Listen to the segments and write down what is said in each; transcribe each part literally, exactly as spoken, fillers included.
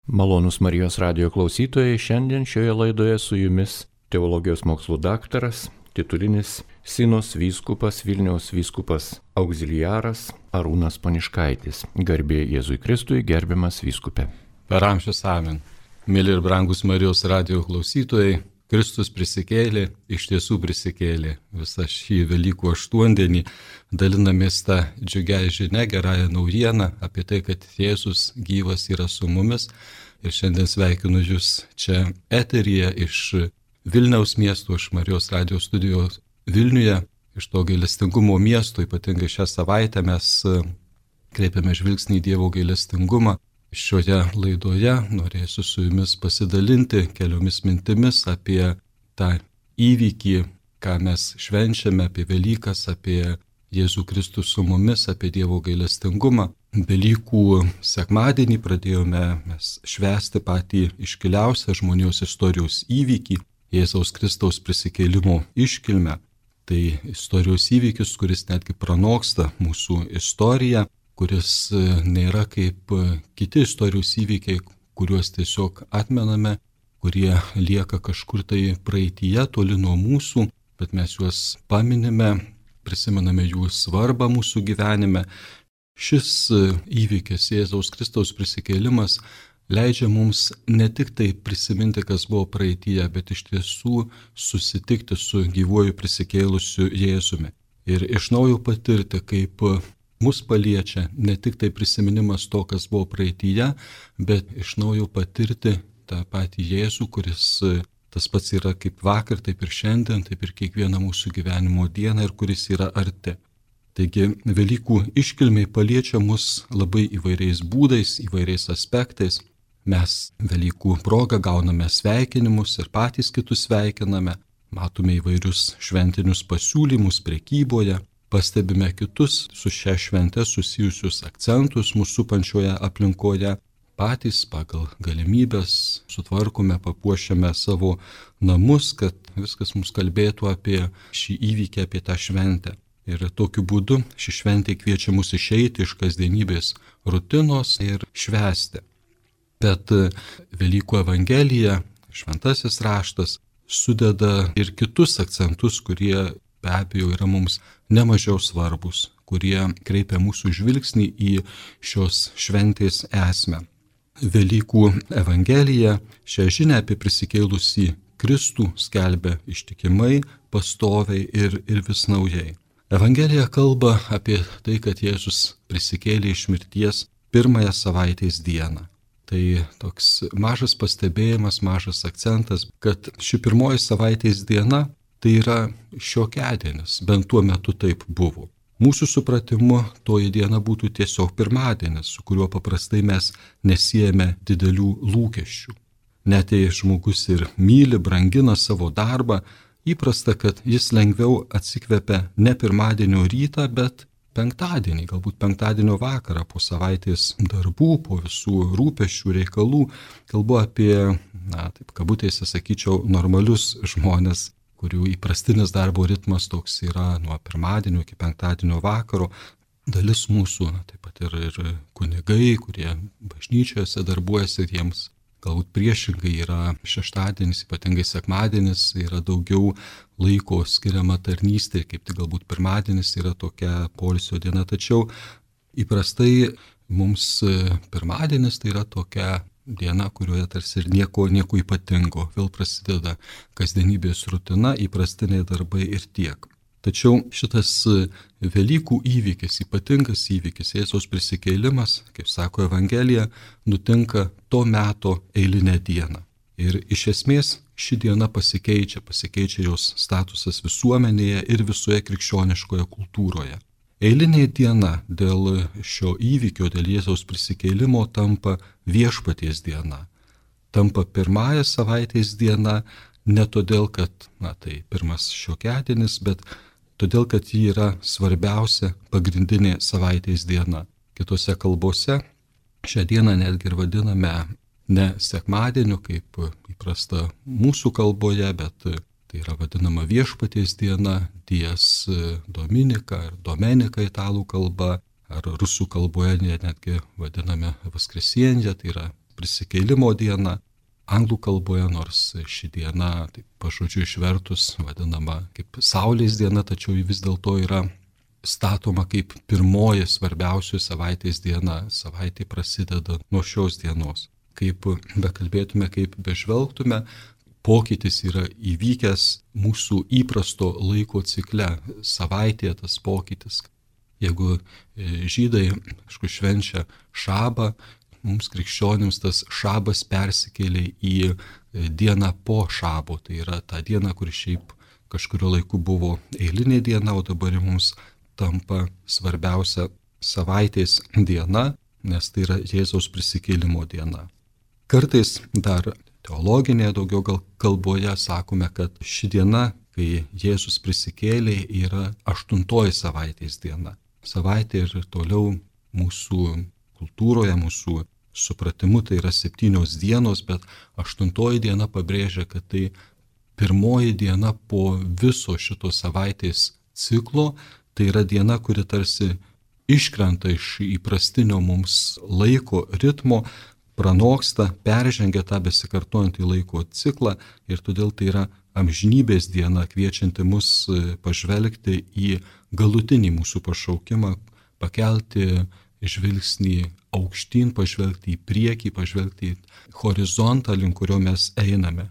Malonūs Marijos radijo klausytojai, šiandien šioje laidoje su jumis teologijos mokslų daktaras, titulinis Sinos vyskupas, Vilniaus vyskupas auxiliaras Arūnas Poniškaitis. Garbė Jėzui Kristui, gerbiamas vyskupe. Per amžius amen. Mėly ir brangus Marijos radijo klausytojai, Kristus prisikėlė, iš tiesų prisikėlė. Visą šį Velykų aštuondienį dalinamės tą džiugią žinią, gerąją naujieną apie tai, kad Jėzus gyvas yra su mumis. Ir šiandien sveikinu Jūs čia eteryje iš Vilniaus miesto, iš Marijos radijo studijos Vilniuje, iš to gailestingumo miesto. Ypatingai šią savaitę mes kreipiame žvilgsnį į Dievo gailestingumą. Šioje laidoje norėsiu su jumis pasidalinti keliomis mintimis apie tą įvykį, ką mes švenčiame, apie Velykas, apie Jėzų Kristų su mumis, apie Dievo gailestingumą. Velykų sekmadienį pradėjome mes švęsti patį iškiliausią žmonijos istorijos įvykį, Jėzaus Kristaus prisikėlimo iškilmę. Tai istorijos įvykis, kuris netgi pranoksta mūsų istoriją, kuris nėra kaip kiti istorijos įvykiai, kuriuos tiesiog atmename, kurie lieka kažkur tai praeityje, toli nuo mūsų, bet mes juos paminime, prisimename jų svarbą mūsų gyvenime. Šis įvykis, Jėzaus Kristaus prisikėlimas, leidžia mums ne tik tai prisiminti, kas buvo praeityje, bet iš tiesų susitikti su gyvuoju prisikėlusiu Jėzumi. Ir iš naujo patirti, kaip mus paliečia ne tik tai prisiminimas to, kas buvo praeityje, bet iš naujo patirti tą patį Jėzų, kuris tas pats yra kaip vakar, taip ir šiandien, taip ir kiekvieną mūsų gyvenimo dieną ir kuris yra arti. Taigi Velykų iškilmiai paliečia mus labai įvairiais būdais, įvairiais aspektais. Mes Velykų progą gauname sveikinimus ir patys kitus sveikiname, matome įvairius šventinius pasiūlymus prekyboje, pastebime kitus su šia švente susijusius akcentus mūsų supančioje aplinkoje, patys pagal galimybės sutvarkome, papuošiame savo namus, kad viskas mums kalbėtų apie šį įvykį, apie tą šventę. Ir tokiu būdu ši šventė kviečia mus išeiti iš kasdienybės rutinos ir švęsti. Bet Velykų evangelija, šventasis raštas, sudeda ir kitus akcentus, kurie be abejo yra mums nemažiau svarbus, kurie kreipia mūsų žvilgsnį į šios šventės esmę. Velykų evangelija šią žinią apie prisikėlusį Kristų skelbia ištikimai, pastoviai ir, ir vis naujai. Evangelija kalba apie tai, kad Jėzus prisikėlė iš mirties pirmąją savaitės dieną. Tai toks mažas pastebėjimas, mažas akcentas, kad ši pirmoji savaitės diena tai yra šiokiadienis, bent tuo metu taip buvo. Mūsų supratimu toji diena būtų tiesiog pirmadienis, su kuriuo paprastai mes nesiejame didelių lūkesčių. Net jei žmogus ir myli, brangina savo darbą, įprasta, kad jis lengviau atsikvepia ne pirmadienio rytą, bet penktadienį, galbūt penktadienio vakarą po savaitės darbų, po visų rūpesčių, reikalų. Kalbu apie, na, taip kabutėse sakyčiau, normalius žmonės, kurių įprastinis darbo ritmas toks yra nuo pirmadienio iki penktadienio vakaro. Dalis mūsų, na, taip pat ir, ir kunigai, kurie bažnyčiose darbuojasi, jiems galbūt priešingai yra šeštadienis, ypatingai sekmadienis, yra daugiau laiko skiriama tarnystė, kaip tik galbūt pirmadienis yra tokia poilsio diena. Tačiau įprastai mums pirmadienis tai yra tokia diena, kurioje tarsi ir nieko, nieko ypatingo. Vėl prasideda kasdienybės rutina, įprastiniai darbai ir tiek. Tačiau šitas Velykų įvykis, ypatingas įvykis, Jėzaus prisikėlimas, kaip sako Evangelija, nutinka to meto eilinę dieną. Ir iš esmės ši diena pasikeičia, pasikeičia jos statusas visuomenėje ir visoje krikščioniškoje kultūroje. Eilinė diena dėl šio įvykio, dėl Jėzaus prisikėlimo tampa viešpaties diena. Tampa pirmąją savaitės diena ne todėl, kad, na, tai pirmas šiokiadienis, bet todėl, kad ji yra svarbiausia pagrindinė savaitės diena. Kitose kalbose šią dieną netgi ir vadiname ne sekmadieniu, kaip įprasta mūsų kalboje, bet tai yra vadinama viešpaties diena, dies dominika ar domenika italų kalba, ar rusų kalboje netgi vadiname vaskresienyje, tai yra prisikėlimo diena. Anglų kalboje, nors ši diena, taip pažodžiu išvertus, vadinama kaip Saulės diena, tačiau ji vis dėlto yra statoma kaip pirmoji svarbiausių savaitės diena. Savaitė prasideda nuo šios dienos. Kaip bekalbėtume, kaip bežvelgtume, pokytis yra įvykęs mūsų įprasto laiko cikle. Savaitėje tas pokytis. Jeigu žydai, aišku, švenčia šabą, mums krikščionims tas šabas persikėlė į dieną po šabo. Tai yra ta diena, kur šiaip kažkurio laiku buvo eilinė diena, o dabar mums tampa svarbiausia savaitės diena, nes tai yra Jėzaus prisikėlimo diena. Kartais dar teologinėje daugiau gal kalboje sakome, kad ši diena, kai Jėzus prisikėlė, yra aštuntoji savaitės diena. Savaitė ir toliau mūsų kultūroje, mūsų supratimu tai yra septynios dienos, bet aštuntoji diena pabrėžia, kad tai pirmoji diena po viso šito savaitės ciklo, tai yra diena, kuri tarsi iškrenta iš įprastinio mums laiko ritmo, pranoksta, peržengia tą besikartojantį laiko ciklą ir todėl tai yra amžinybės diena, kviečianti mus pažvelgti į galutinį mūsų pašaukimą, pakelti žvilgsnį aukštyn, pažvelgti į priekį, pažvelgti į horizontą, link kurio mes einame.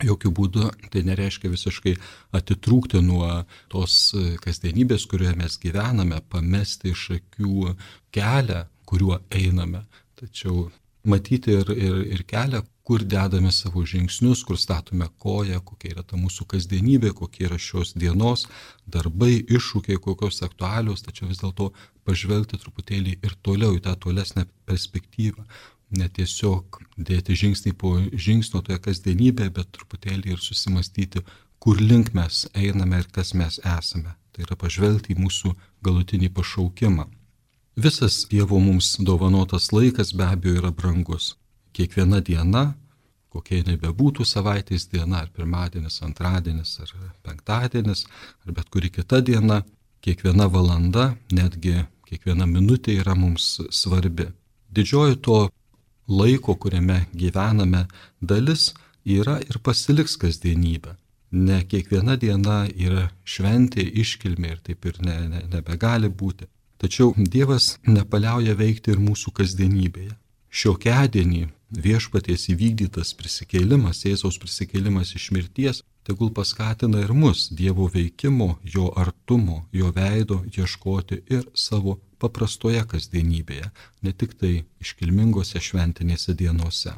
Jokių būdų tai nereiškia visiškai atitrūkti nuo tos kasdienybės, kurioje mes gyvename, pamesti iš akių kelią, kuriuo einame. Tačiau matyti ir, ir, ir kelią, kur dedame savo žingsnius, kur statome koją, kokia yra ta mūsų kasdienybė, kokie yra šios dienos darbai, iššūkiai, kokios aktualios, tačiau vis dėlto pažvelgti truputėlį ir toliau į tą tolesnę perspektyvą. Ne tiesiog dėti žingsnį po žingsnio toje kasdienybėje, bet truputėlį ir susimastyti, kur link mes einame ir kas mes esame. Tai yra pažvelgti į mūsų galutinį pašaukimą. Visas Dievo mums dovanotas laikas be abejo yra brangus. Kiekviena diena, kokia nebebūtų savaitės diena, ar pirmadienis, antradienis, ar penktadienis, ar bet kuri kita diena, kiekviena valanda, netgi kiekviena minutė yra mums svarbi. Didžioji to laiko, kuriame gyvename, dalis yra ir pasiliks kasdienybė. Ne kiekviena diena yra šventė, iškilmė ir taip ir ne, ne, nebegali būti. Tačiau Dievas nepaliauja veikti ir mūsų kasdienybėje. Šiokiadienį viešpaties įvykdytas prisikėlimas, Jėzaus prisikėlimas iš mirties, tegul paskatina ir mus Dievo veikimo, jo artumo, jo veido ieškoti ir savo paprastoje kasdienybėje, ne tik tai iškilmingose šventinėse dienose.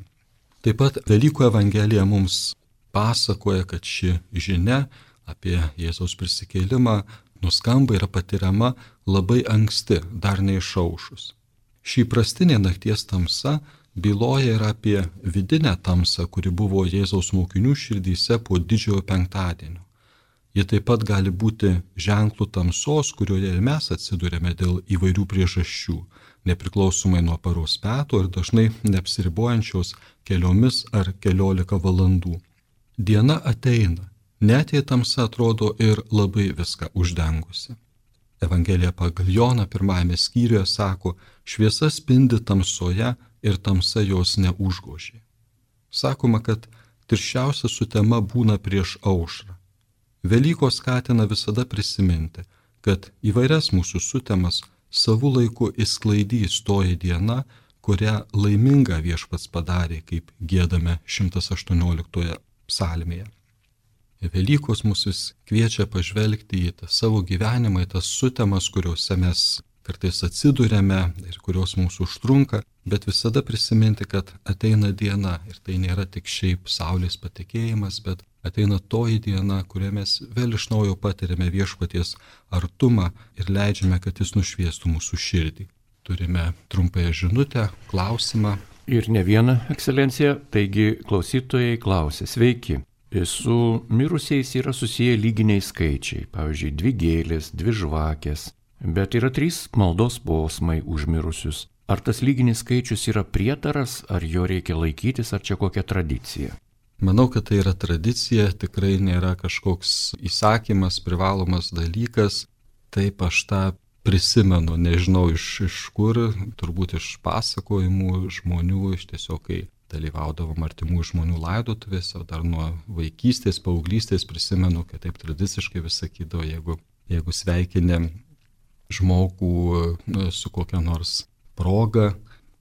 Taip pat Velykų Evangelija mums pasakoja, kad ši žinia apie Jėzaus prisikėlimą nuskamba yra patiriama labai anksti, dar neišaušus. Šį prastinė nakties tamsa byloja ir apie vidinę tamsą, kuri buvo Jėzaus mokinių širdyse po didžiojo penktadienio. Ji taip pat gali būti ženklų tamsos, kurioje ir mes atsidurėme dėl įvairių priežasčių, nepriklausomai nuo paros metų ir dažnai neapsiribojančios keliomis ar keliolika valandų. Diena ateina, net jei tamsa atrodo ir labai viską uždengusi. Evangelija pagal Joną pirmajame skyriuje sako, šviesa spindi tamsoje ir tamsa jos neužgožė. Sakoma, kad tirščiausia sutema būna prieš aušrą. Velykos skatina visada prisiminti, kad įvairias mūsų sutemas savų laiku išsklaidys toji diena, kurią laimingą viešpats padarė, kaip giedame šimtas aštuonioliktoje psalmėje. Velykos mus vis kviečia pažvelgti į tą savo gyvenimą, į tas sutemas, kuriuose mes kartais atsidūrėme ir kurios mūsų užtrunka, bet visada prisiminti, kad ateina diena ir tai nėra tik šiaip saulės patekėjimas, bet ateina toji diena, kurioje mes vėl iš naujo patiriame viešpaties artumą ir leidžiame, kad jis nušviestų mūsų širdį. Turime trumpąją žinutę, klausimą. Ir ne vieną, ekscelencija, taigi klausytojai klausė, sveiki. Su mirusiais yra susiję lyginiai skaičiai, pavyzdžiui, dvi gėlės, dvi žvakės, bet yra trys maldos posmai už mirusius. Ar tas lyginis skaičius yra prietaras, ar jo reikia laikytis, ar čia kokia tradicija? Manau, kad tai yra tradicija, tikrai nėra kažkoks įsakymas, privalomas dalykas. Taip aš tą prisimenu, nežinau iš, iš kur, turbūt iš pasakojimų žmonių, iš tiesiog kai dalyvaudavom artimų žmonių laidotuvėse, dar nuo vaikystės, paauglystės prisimenu, kad taip tradiciškai vis sakydavo, jeigu, jeigu sveikinė žmogų su kokia nors proga,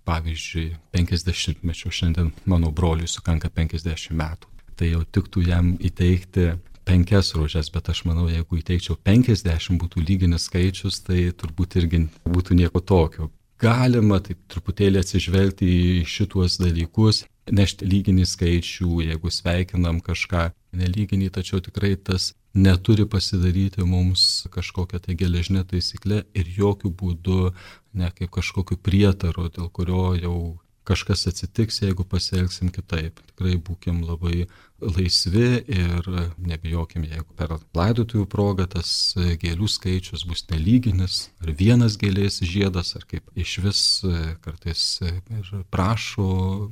pavyzdžiui, penkiasdešimtmečio, šiandien mano broliui sukanka penkiasdešimt metų, tai jau tiktų jam įteikti penkias rožes, bet aš manau, jeigu įteikčiau penkiasdešimt būtų lyginis skaičius, tai turbūt irgi būtų nieko tokio. Galima taip truputėlį atsižvelgti į šituos dalykus, nešti lyginį skaičių, jeigu sveikinam kažką nelyginį, tačiau tikrai tas neturi pasidaryti mums kažkokią tai geležinę taisyklę ir jokių būdų ne kaip kažkokiu prietaru, dėl kurio jau kažkas atsitiks, jeigu pasielgsim kitaip. Tikrai būkim labai laisvi ir nebijokim, jeigu per laidotuvių progą tas gėlių skaičius bus nelyginis, ar vienas gėlės žiedas, ar kaip iš vis kartais ir prašo,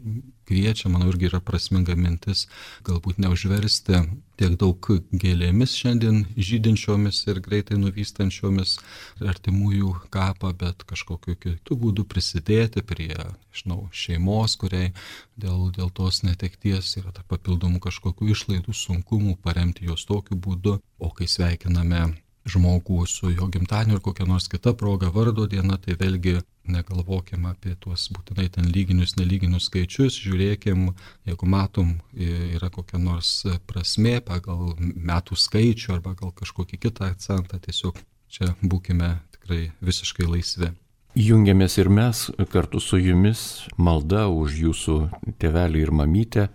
kviečia, manau, irgi yra prasminga mintis, galbūt neužversti tiek daug gėlėmis šiandien žydinčiomis ir greitai nuvystančiomis artimųjų kapą, bet kažkokiu kitų būdų prisidėti prie, žinau, šeimos, kuriai dėl, dėl tos netekties yra ta papildomų kažkokių išlaidų, sunkumų, paremti juos tokiu būdu, o kai sveikiname žmogų su jo gimtadieniu ir kokia nors kita proga, vardo diena, tai vėlgi negalvokime apie tuos būtinai ten lyginius, nelyginius skaičius, žiūrėkim, jeigu matom, yra kokia nors prasmė pagal metų skaičių arba gal kažkokį kitą akcentą, tiesiog čia būkime tikrai visiškai laisvi. Jungiamės ir mes kartu su jumis malda už jūsų tėvelį ir mamytę.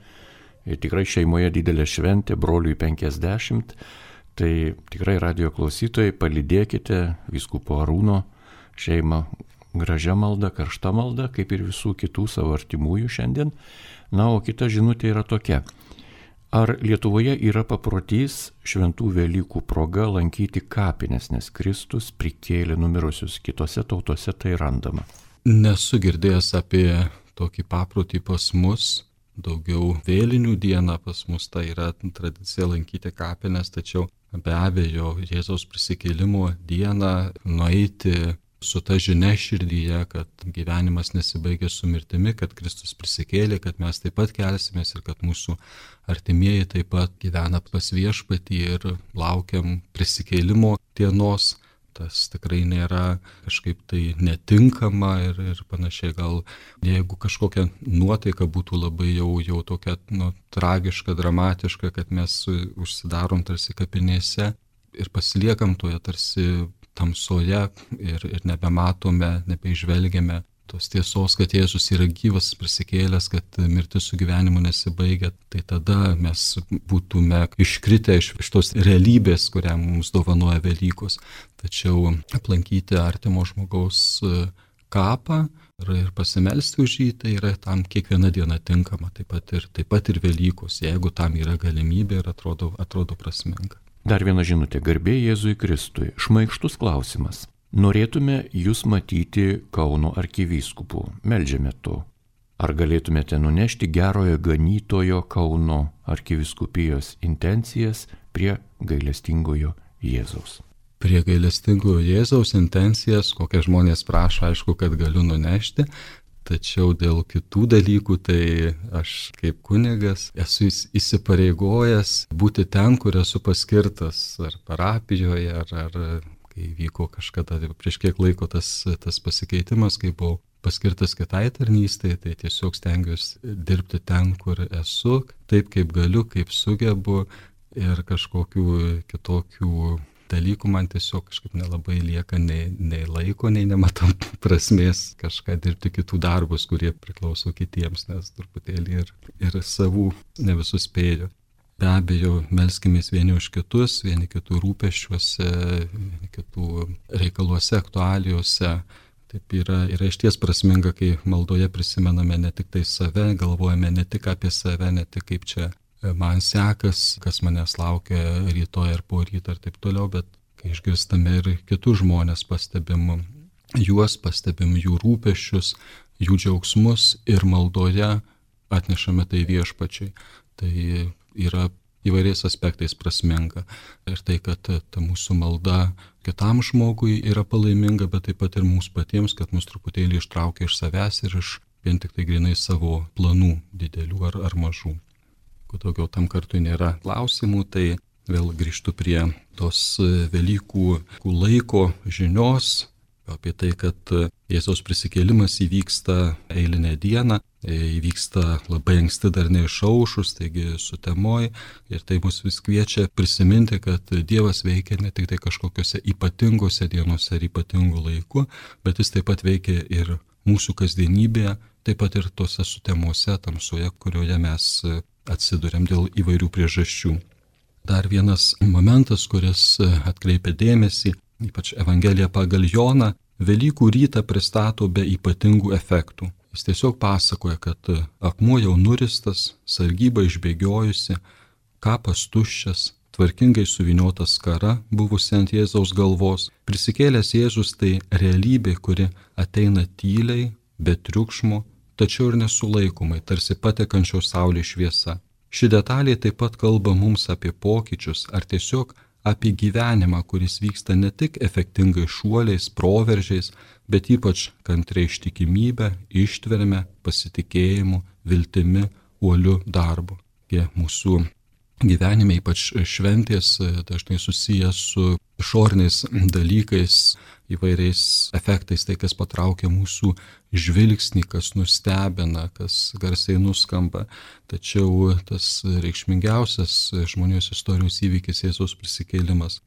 Ir tikrai šeimoje didelė šventė, broliui penkiasdešimt. Tai tikrai radijo klausytojai, palydėkite vyskupo Arūno šeimą gražia malda, karšta malda, kaip ir visų kitų savo artimųjų šiandien. Na, o kita žinutė yra tokia. Ar Lietuvoje yra paprotys šventų Velykų proga lankyti kapines, nes Kristus prikėlė numirusius, kitose tautose tai randama? Nesu girdėjęs apie tokį paprotį pas mus. Daugiau vėlinių dieną pas mus tai yra tradicija lankyti kapines, tačiau be abejo Jėzaus prisikėlimo dieną nueiti su ta žinia širdyje, kad gyvenimas nesibaigia su mirtimi, kad Kristus prisikėlė, kad mes taip pat kelsimės ir kad mūsų artimieji taip pat gyvena pas viešpatį ir laukiam prisikėlimo dienos. Tas tikrai nėra kažkaip tai netinkama ir, ir panašiai. Gal jeigu kažkokia nuotaika būtų labai jau, jau tokia nu, tragiška, dramatiška, kad mes užsidarom tarsi kapinėse ir pasiliekam toje tarsi tamsoje ir, ir nebematome, nebeižvelgiame tos tiesos, kad Jėzus yra gyvas, prisikėlęs, kad mirtis su gyvenimu nesibaigia, tai tada mes būtume iškritę iš, iš tos realybės, kurią mums dovanoja Velykos. Tačiau aplankyti artimo žmogaus kapą ir, ir pasimelsti už jį, tai yra tam kiekviena diena tinkama, taip pat ir, taip pat ir Velykos, jeigu tam yra galimybė ir atrodo, atrodo prasminga. Dar viena žinutė, garbė Jėzui Kristui. Šmaikštus klausimas. Norėtume jūs matyti Kauno arkivyskupu, meldžiame to. Ar galėtumėte nunešti gerojo ganytojo Kauno arkivyskupijos intencijas prie gailestingojo Jėzaus? Prie gailestingojo Jėzaus intencijas, kokie žmonės prašo, aišku, kad galiu nunešti, tačiau dėl kitų dalykų, tai aš kaip kunigas esu įsipareigojęs būti ten, kur esu paskirtas, ar parapijoje, ar... ar kai vyko kažkada prieš kiek laiko tas, tas pasikeitimas, kai buvau paskirtas kitai tarnystėje, tai tiesiog stengiuosi dirbti ten, kur esu, taip kaip galiu, kaip sugebu ir kažkokių kitokių dalykų man tiesiog kažkaip nelabai lieka nei, nei laiko, nei nematau prasmės kažką dirbti kitų darbus, kurie priklauso kitiems, nes truputėlį ir, ir savų ne visus spėju. Be abejo, melskimės vieni už kitus, vieni kitų rūpesčiuose, vieni kitų reikaluose, aktualijose. Taip yra, yra išties prasminga, kai maldoje prisimename ne tik tai save, galvojame ne tik apie save, ne tik kaip čia man sekas, kas manęs laukia rytoj ar po ryto ir taip toliau, bet kai išgirstame ir kitus žmonės, pastebim juos, pastebim jų rūpesčius, jų džiaugsmus ir maldoje atnešame tai viešpačiai. Tai yra įvairiais aspektais prasminga. Ir tai, kad ta mūsų malda kitam žmogui yra palaiminga, bet taip pat ir mums patiems, kad mus truputėlį ištraukia iš savęs ir iš vien tik tai grinai savo planų didelių ar, ar mažų. Jeigu daugiau tam kartui nėra klausimų, tai vėl grįžtu prie tos Velykų laiko žinios, apie tai, kad Jėzaus prisikėlimas įvyksta eilinę dieną, įvyksta labai anksti dar neišaušus, taigi sutemoj, ir tai mus vis kviečia prisiminti, kad Dievas veikia ne tik tai kažkokiose ypatingose dienose ar ypatingų laikų, bet jis taip pat veikia ir mūsų kasdienybėje, taip pat ir tose sutemose, tamsoje, kurioje mes atsiduriam dėl įvairių priežasčių. Dar vienas momentas, kuris atkreipia dėmesį, ypač Evangelija pagal Joną, Velykų rytą pristato be ypatingų efektų. Jis tiesiog pasakoja, kad akmuo jau nuristas, sargyba išbėgiojusi, kapas tuščias, tvarkingai suvyniota skara buvusi ant Jėzaus galvos. Prisikėlęs Jėzus tai realybė, kuri ateina tyliai, be triukšmo, tačiau ir nesulaikomai, tarsi patekančios saulės šviesa. Ši detalė taip pat kalba mums apie pokyčius ar tiesiog apie gyvenimą, kuris vyksta ne tik efektingai šuoliais, proveržiais, bet ypač kantriai ištikimybę, ištverme, pasitikėjimu, viltimi, uoliu darbu. Tie mūsų gyvenime, ypač šventės, dažnai susijęs su išoriniais dalykais, įvairiais efektais, tai kas patraukia mūsų žvilgsnį, kas nustebina, kas garsiai nuskamba. Tačiau tas reikšmingiausias žmonijos istorijos įvykis Jėzaus prisikėlimas.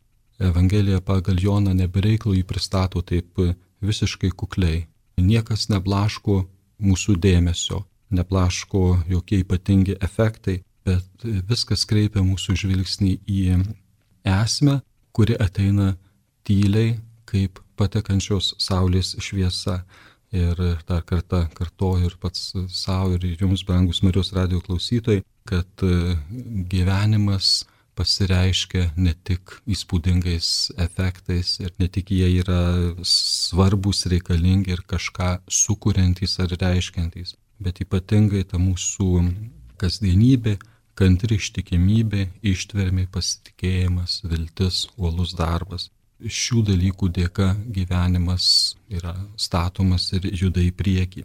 Evangelija pagal Joną nebereiklų jį pristato taip visiškai kukliai. Niekas neblaško mūsų dėmesio, neblaško jokie ypatingi efektai, bet viskas kreipia mūsų žvilgsnį į esmę, kuri ateina tyliai, kaip patekančios saulės šviesa. Ir dar kartą kartoju ir pats savo ir jums, brangus Marijos radijo klausytojai, kad gyvenimas pasireiškia ne tik įspūdingais efektais ir ne tik jie yra svarbus, reikalingi ir kažką sukuriantys ar reiškiantys, bet ypatingai ta mūsų kasdienybė, kantri ištikimybė, ištvermė, pasitikėjimas, viltis, uolus darbas. Šių dalykų dėka gyvenimas yra statomas ir juda į priekį.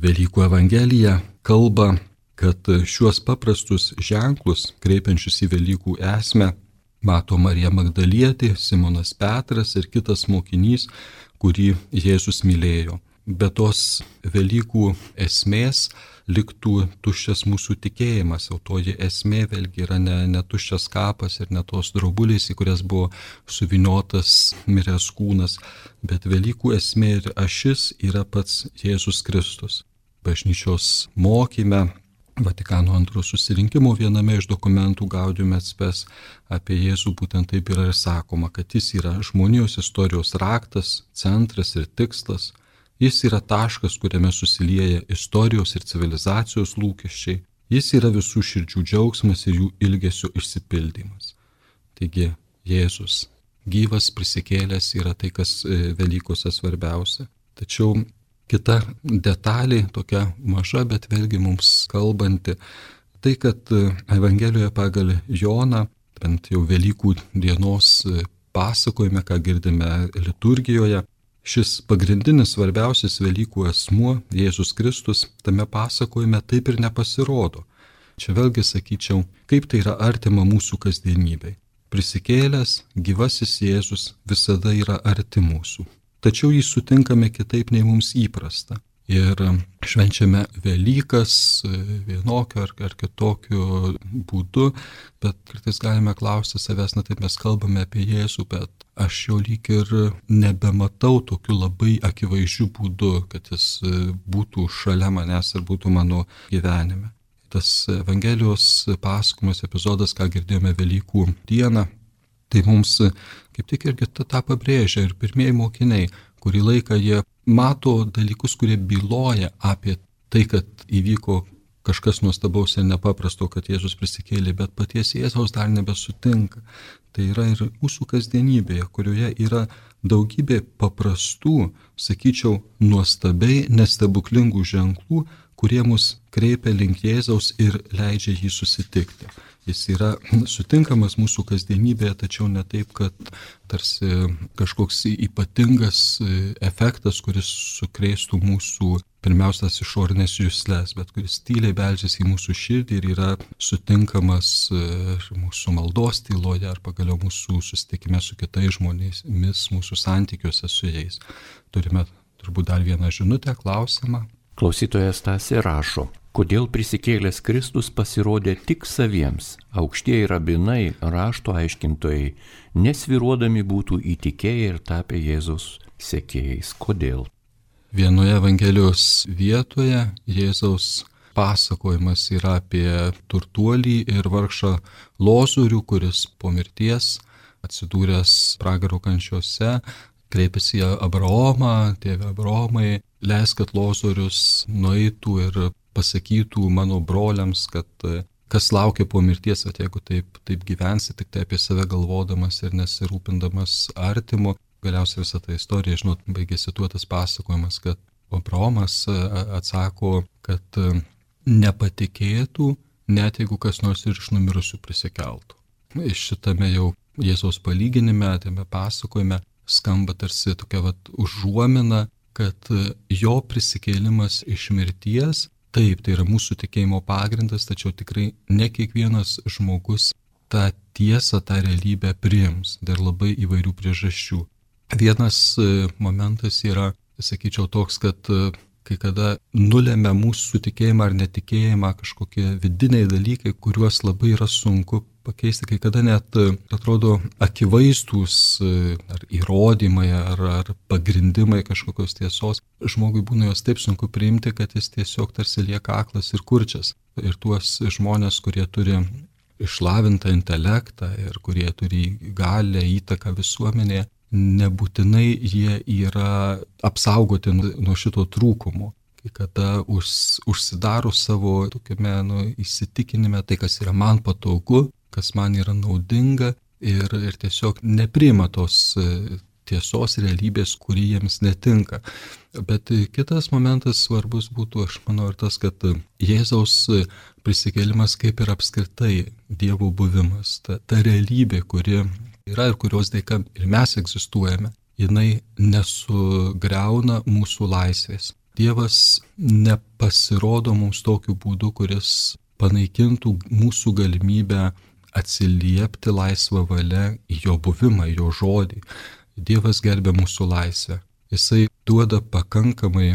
Velykų Evangelija kalba, kad šiuos paprastus ženklus, kreipiančius į Velykų esmę, mato Marija Magdalietė, Simonas Petras ir kitas mokinys, kurį Jėzus mylėjo. Be tos Velykų esmės liktų tuščias mūsų tikėjimas, o toji esmė vėlgi yra ne, ne tuščias kapas ir ne tos draubulės, į kurias buvo suviniotas miręs kūnas, bet Velykų esmė ir ašis yra pats Jėzus Kristus. Bažnyčios mokyme, Vatikano antrojo susirinkimo viename iš dokumentų Gaudium et Spes apie Jėzų būtent taip yra ir sakoma, kad jis yra žmonijos istorijos raktas, centras ir tikslas. Jis yra taškas, kuriame susilieja istorijos ir civilizacijos lūkesčiai. Jis yra visų širdžių džiaugsmas ir jų ilgesio išsipildymas. Taigi Jėzus, gyvas prisikėlęs, yra tai, kas Velykose svarbiausia. Tačiau kita detalė, tokia maža, bet vėlgi mums kalbanti, tai, kad Evangelijoje pagal Joną, bent jau Velykų dienos pasakojime, ką girdime liturgijoje, šis pagrindinis svarbiausias Velykų asmuo, Jėzus Kristus, tame pasakojime taip ir nepasirodo. Čia vėlgi sakyčiau, kaip tai yra artima mūsų kasdienybei. Prisikėlęs, gyvasis Jėzus visada yra arti mūsų. Tačiau jį sutinkame kitaip nei mums įprasta. Ir švenčiame Velykas vienokiu ar, ar kitokiu būdu, bet kartais galime klausti savęs, na taip mes kalbame apie Jėzų, bet aš jau lyg ir nebematau tokiu labai akivaizdžiu būdu, kad jis būtų šalia manęs ir būtų mano gyvenime. Tas Evangelijos pasakojimas epizodas, ką girdėjome Velykų dieną, tai mums kaip tik irgi tą pabrėžia ir pirmieji mokiniai, kurį laiką jie mato dalykus, kurie byloja apie tai, kad įvyko kažkas nuostabaus ir nepaprasto, kad Jėzus prisikėlė, bet paties Jėzaus dar nebesutinka. Tai yra ir mūsų kasdienybėje, kurioje yra daugybė paprastų, sakyčiau, nuostabiai nestebuklingų ženklų, kurie mus kreipia link Jėzaus ir leidžia jį susitikti. Jis yra sutinkamas mūsų kasdienybėje, tačiau ne taip, kad tarsi kažkoks ypatingas efektas, kuris sukrėstų mūsų pirmiausias išorinės juslės, bet kuris tyliai beldžiasi į mūsų širdį ir yra sutinkamas mūsų maldos tyloje ar pagaliau mūsų susitikime su kitais žmonėmis, mūsų santykiuose su jais. Turime turbūt dar vieną žinutę, klausimą. Klausytojas Stasė rašo, kodėl prisikėlęs Kristus pasirodė tik saviems, aukštieji rabinai, rašto aiškintojai, nesvyruodami būtų įtikėję ir tapę Jėzaus sekėjais. Kodėl? Vienoje Evangelijos vietoje Jėzaus pasakojimas yra apie turtuolį ir vargšą Lozorių, kuris po mirties atsidūręs pragaro kančiose kreipėsi į Abraomą, tėve Abraomai, leisk, kad Lozorius nueitų ir pasakytų mano broliams, kad kas laukia po mirties, kad jeigu taip, taip gyvensi, tik tai apie save galvodamas ir nesirūpindamas artimu. Galiausiai visą tą istoriją, žinot, baigėsi tuo tas pasakojimas, kad Abraomas atsako, kad nepatikėtų, net jeigu kas nors ir iš numirusių prisikeltų. Iš šitame jau Jėzaus palyginime, tame pasakojime, skamba tarsi tokia vat užuomina, kad jo prisikėlimas iš mirties, taip, tai yra mūsų tikėjimo pagrindas, tačiau tikrai ne kiekvienas žmogus tą tiesą, tą realybę priims dėl labai įvairių priežasčių. Vienas momentas yra, sakyčiau, toks, kad kai kada nulėmė mūsų tikėjimą ar netikėjimą kažkokie vidiniai dalykai, kuriuos labai yra sunku pakeisti, kai kada net atrodo akivaizdūs ar įrodymai, ar, ar pagrindimai kažkokios tiesos. Žmogui būna jos taip sunku priimti, kad jis tiesiog tarsi lieka aklas ir kurčias. Ir tuos žmonės, kurie turi išlavintą intelektą ir kurie turi galę, įtaką visuomenėje, nebūtinai jie yra apsaugoti nuo šito trūkumo. Kai kada už, užsidaro savo tokiame nu, įsitikinime, tai kas yra man patogu, kas man yra naudinga ir, ir tiesiog nepriima tos tiesos realybės, kuri jiems netinka. Bet kitas momentas svarbus būtų, aš manau, ir tas, kad Jėzaus prisikėlimas kaip ir apskritai Dievo buvimas, ta, ta realybė, kuri yra ir kurios dėka ir mes egzistuojame, jinai nesugriauna mūsų laisvės. Dievas nepasirodo mums tokiu būdu, kuris panaikintų mūsų galimybę atsiliepti laisvą valią į jo buvimą, į jo žodį. Dievas gerbia mūsų laisvę. Jisai duoda pakankamai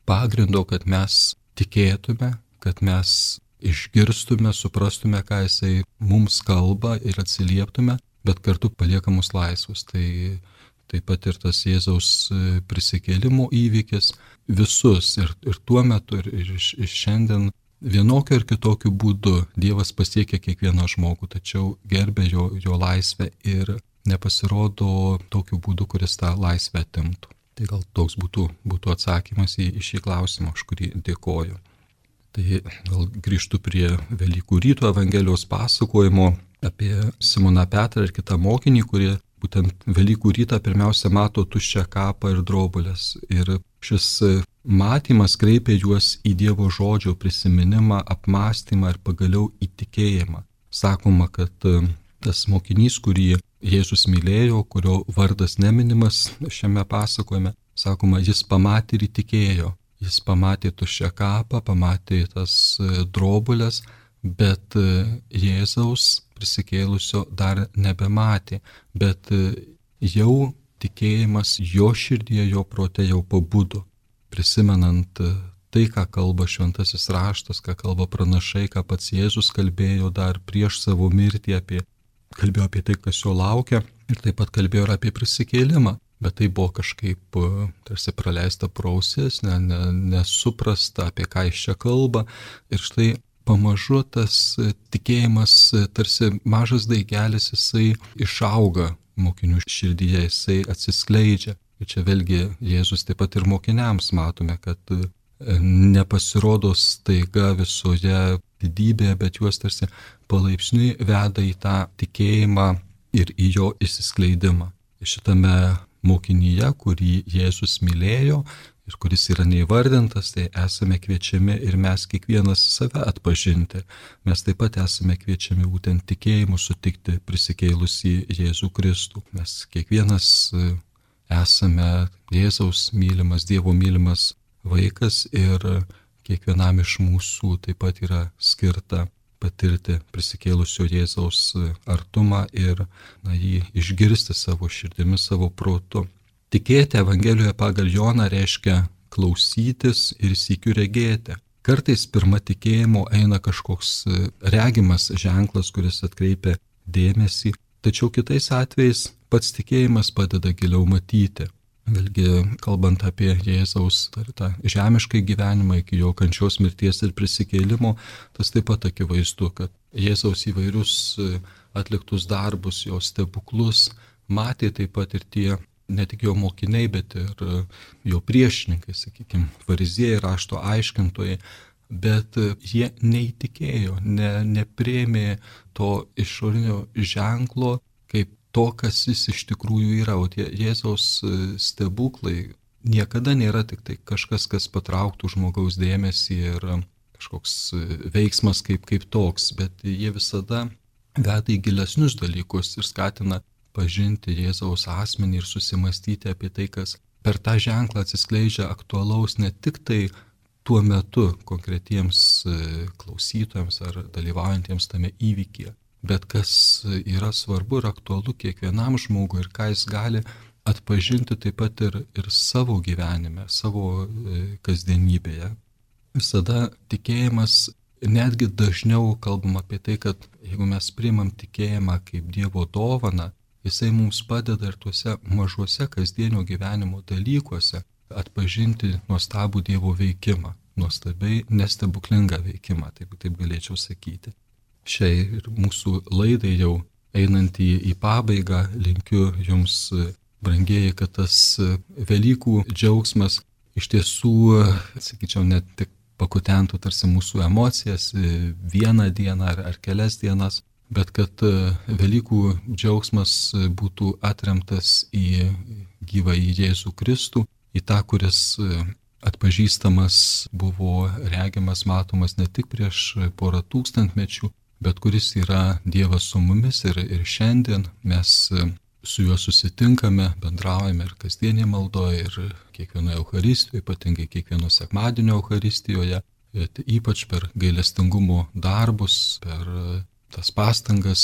pagrindo, kad mes tikėtume, kad mes išgirstume, suprastume, ką jisai mums kalba ir atsilieptume, bet kartu palieka mus laisvus. Tai taip pat ir tas Jėzaus prisikėlimo įvykis visus ir, ir tuo metu ir, ir, ir šiandien vienokiu ir kitokiu būdu Dievas pasiekia kiekvieną žmogų, tačiau gerbė jo, jo laisvę ir nepasirodo tokiu būdu, kuris tą laisvę atimtų. Tai gal toks būtų, būtų atsakymas į, į šį klausimą, už kurį dėkoju. Tai gal grįžtu prie Velykų ryto Evangelijos pasakojimo apie Simoną Petrą ir kitą mokinį, kurie būtent Velykų rytą pirmiausia mato tuščią kapą ir drobulės. Ir šis matymas kreipia juos į Dievo žodžio prisiminimą, apmąstymą ir pagaliau įtikėjimą. Sakoma, kad tas mokinys, kurį Jėzus mylėjo, kurio vardas neminimas šiame pasakojime, sakoma, jis pamatė ir įtikėjo. Jis pamatė tuščią kapą, pamatė tas drobulės, bet Jėzaus prisikėlusio dar nebematė, bet jau tikėjimas jo širdyje, jo prote jau pabudo, prisimenant tai, ką kalba šventasis raštas, ką kalba pranašai, ką pats Jėzus kalbėjo dar prieš savo mirtį, apie, kalbėjo apie tai, kas jo laukia, ir taip pat kalbėjo ir apie prisikėlimą, bet tai buvo kažkaip tarsi praleista pro ausis, ne, ne, nesuprasta, apie ką jis čia kalba, ir štai pamažu tas tikėjimas, tarsi mažas daigelis, jisai išauga mokinių širdyje, jisai atsiskleidžia. Ir čia vėlgi Jėzus taip pat ir mokiniams matome, kad nepasirodo staiga visoje didybėje, bet juos tarsi palaipsniui veda į tą tikėjimą ir į jo išsiskleidimą. Šitame mokinyje, kurį Jėzus mylėjo, ir kuris yra neįvardintas, tai esame kviečiami ir mes kiekvienas save atpažinti. Mes taip pat esame kviečiami būtent tikėjimu sutikti prisikėlusį Jėzų Kristų. Mes kiekvienas esame Jėzaus mylimas, Dievo mylimas vaikas ir kiekvienam iš mūsų taip pat yra skirta patirti prisikėlusio Jėzaus artumą ir na, jį išgirsti savo širdimi, savo protu. Tikėti Evangelijoje pagal Joną reiškia klausytis ir sykiu regėti. Kartais pirma tikėjimo eina kažkoks regimas ženklas, kuris atkreipia dėmesį, tačiau kitais atvejais pats tikėjimas padeda giliau matyti. Vėlgi, kalbant apie Jėzaus tą žemišką gyvenimą iki jo kančios, mirties ir prisikėlimo, tas taip pat akivaizdu, kad Jėzaus įvairius atliktus darbus, jo stebuklus matė taip pat ir tie, ne tik jo mokiniai, bet ir jo priešininkai, sakykime, fariziejai, rašto aiškintojai, bet jie neįtikėjo, ne, nepriėmė to išorinio ženklo kaip to, kas jis iš tikrųjų yra. O tie Jėzaus stebuklai niekada nėra tik tai kažkas, kas patrauktų žmogaus dėmesį ir kažkoks veiksmas kaip, kaip toks, bet jie visada veda į gilesnius dalykus ir skatina pažinti Jėzaus asmenį ir susimastyti apie tai, kas per tą ženklą atsiskleidžia aktualaus ne tik tai tuo metu konkretiems klausytojams ar dalyvaujantiems tame įvykyje, bet kas yra svarbu ir aktualu kiekvienam žmogui ir ką jis gali atpažinti taip pat ir, ir savo gyvenime, savo kasdienybėje. Visada tikėjimas, netgi dažniau kalbam apie tai, kad jeigu mes priimam tikėjimą kaip Dievo dovaną, jisai mums padeda ir tuose mažuose kasdienio gyvenimo dalykuose atpažinti nuostabų Dievo veikimą, nuostabiai nestebuklingą veikimą, taip, taip galėčiau sakyti. Šiai ir mūsų laidai jau einant į, į pabaigą, linkiu jums, brangieji, kad tas Velykų džiaugsmas iš tiesų, sakyčiau, net tik pakutentų tarsi mūsų emocijas vieną dieną ar, ar kelias dienas, bet kad Velykų džiaugsmas būtų atremtas į gyvąjį Jėzų Kristų, į tą, kuris atpažįstamas buvo regimas, matomas ne tik prieš porą tūkstantmečių, bet kuris yra Dievas su mumis ir, ir šiandien mes su juo susitinkame, bendraujame ir kasdienėje maldoje, ir kiekvienoje Eucharistijoje, ypatingai kiekvieno sekmadienio Eucharistijoje, ypač per gailestingumo darbus, per tas pastangas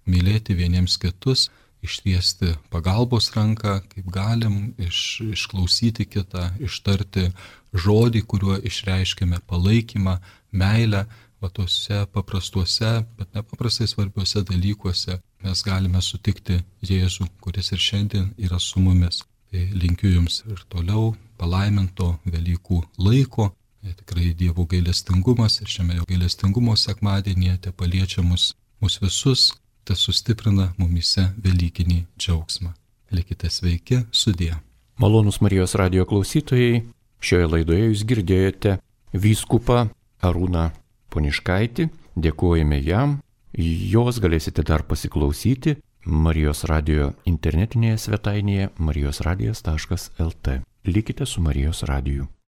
mylėti vieniems kitus, ištiesti pagalbos ranką, kaip galim, iš, išklausyti kitą, ištarti žodį, kuriuo išreiškime palaikymą, meilę. Va tuose paprastuose, bet nepaprastai svarbiuose dalykuose mes galime sutikti Jėzų, kuris ir šiandien yra su mumis. Tai linkiu jums ir toliau palaiminto Velykų laiko. Tikrai Dievo gailestingumas ir šiame jo gailestingumo sekmadienyje te paliečia mus, mus visus, te sustiprina mumyse Velykinį džiaugsmą. Likite sveiki, sudie. Malonūs Marijos radijo klausytojai, šioje laidoje jūs girdėjote vyskupą Arūną Poniškaitį, dėkojame jam, jos galėsite dar pasiklausyti Marijos radijo internetinėje svetainėje marijos radijas taškas el tė. Likite su Marijos radiju.